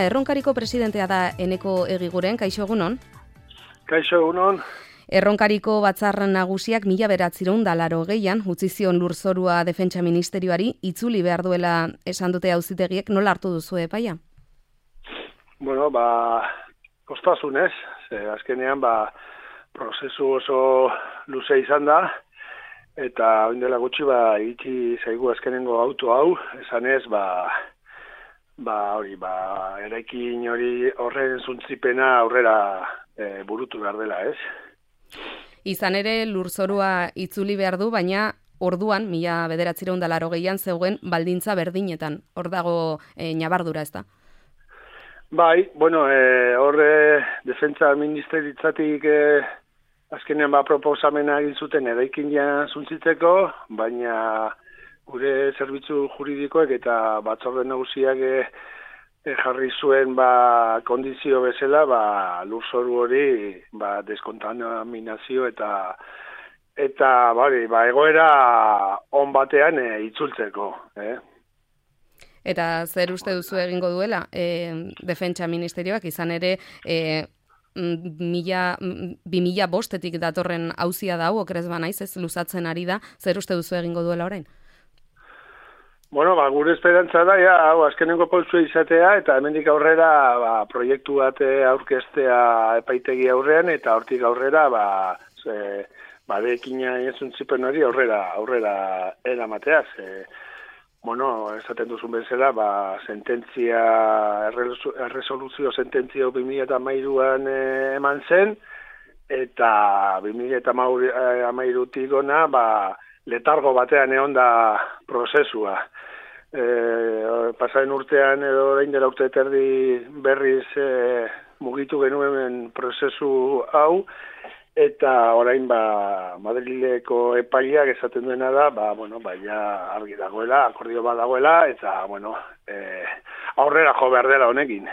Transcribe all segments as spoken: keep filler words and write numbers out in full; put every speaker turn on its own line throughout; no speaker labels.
Erronkariko presidentea da Eneko Egiguren, kaixo egunon?
Kaixo egunon.
Erronkariko batzar nagusiak mila bederatziehun eta laurogeian utzi zion lurzorua defentsa ministerioari itzuli behar duela esan dute auzitegiek, nola hartu duzu epaia?
Bueno, ba, kostasunez, ze azkenean ba, prozesu oso luze izan da, eta oindela gutxi ba, iritsi zaigu azkenengo auto hau, esanez, ba, ba, hori, ba, eraikin hori horren zuntzipena aurrera e, burutu behar dela, ez?
Izan ere, lurzorua itzuli behar du, baina orduan, mila bederatziehun eta laurogeian zegoen baldintza berdinetan. Hor dago e, ñabardura, ez da?
Bai, bueno, e, horre defentsa ministeritzatik e, azkenean ba proposamena egin zuten eraikin ja zuntzitzeko, baina gure zerbitzu juridikoek eta batzorde nagusiak e, e, jarri zuen ba kondizio bezala ba lurzoru hori ba deskontaminazio eta eta bari, ba egoera on batean e, itzultzeko, eh?
Eta zer uste duzu egingo duela e, defentsa ministerioak izan ere e, mila, bi mila bostetik datorren auzia da hau, okerez banaiz, ez luzatzen ari da, zer uste duzu egingo duela orain?
Bueno, ba, gure esperantza da, ja, hau, azkenengo poltsua izatea, eta hemendik aurrera ba, proiektu bat aurkeztea epaitegi aurrean, eta hortik aurrera, ba, ze, ba, dekina ezuntzipen hori aurrera, aurrera eramatea, ze, bueno, esaten duzun bezala, ba, sententzia, erresoluzio sententzia bi mila hamairuan eh, eman zen, eta bi mila hamairutik ona, ba, letargo batean egon da prozesua. E, pasaren urtean edo orain dela urte terdi berriz e, mugitu genuen prozesu hau, eta orain ba Madrileko epaileak esaten duena da, ba bueno, ba ja argi dagoela, akordio bat dagoela eta bueno, e, aurrera jo behar dela honekin.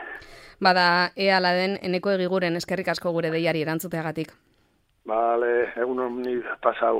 Bada ea la den Eneko Egiguren eskerrik asko gure deiari erantzuteagatik.
Vale, egun honi pasau.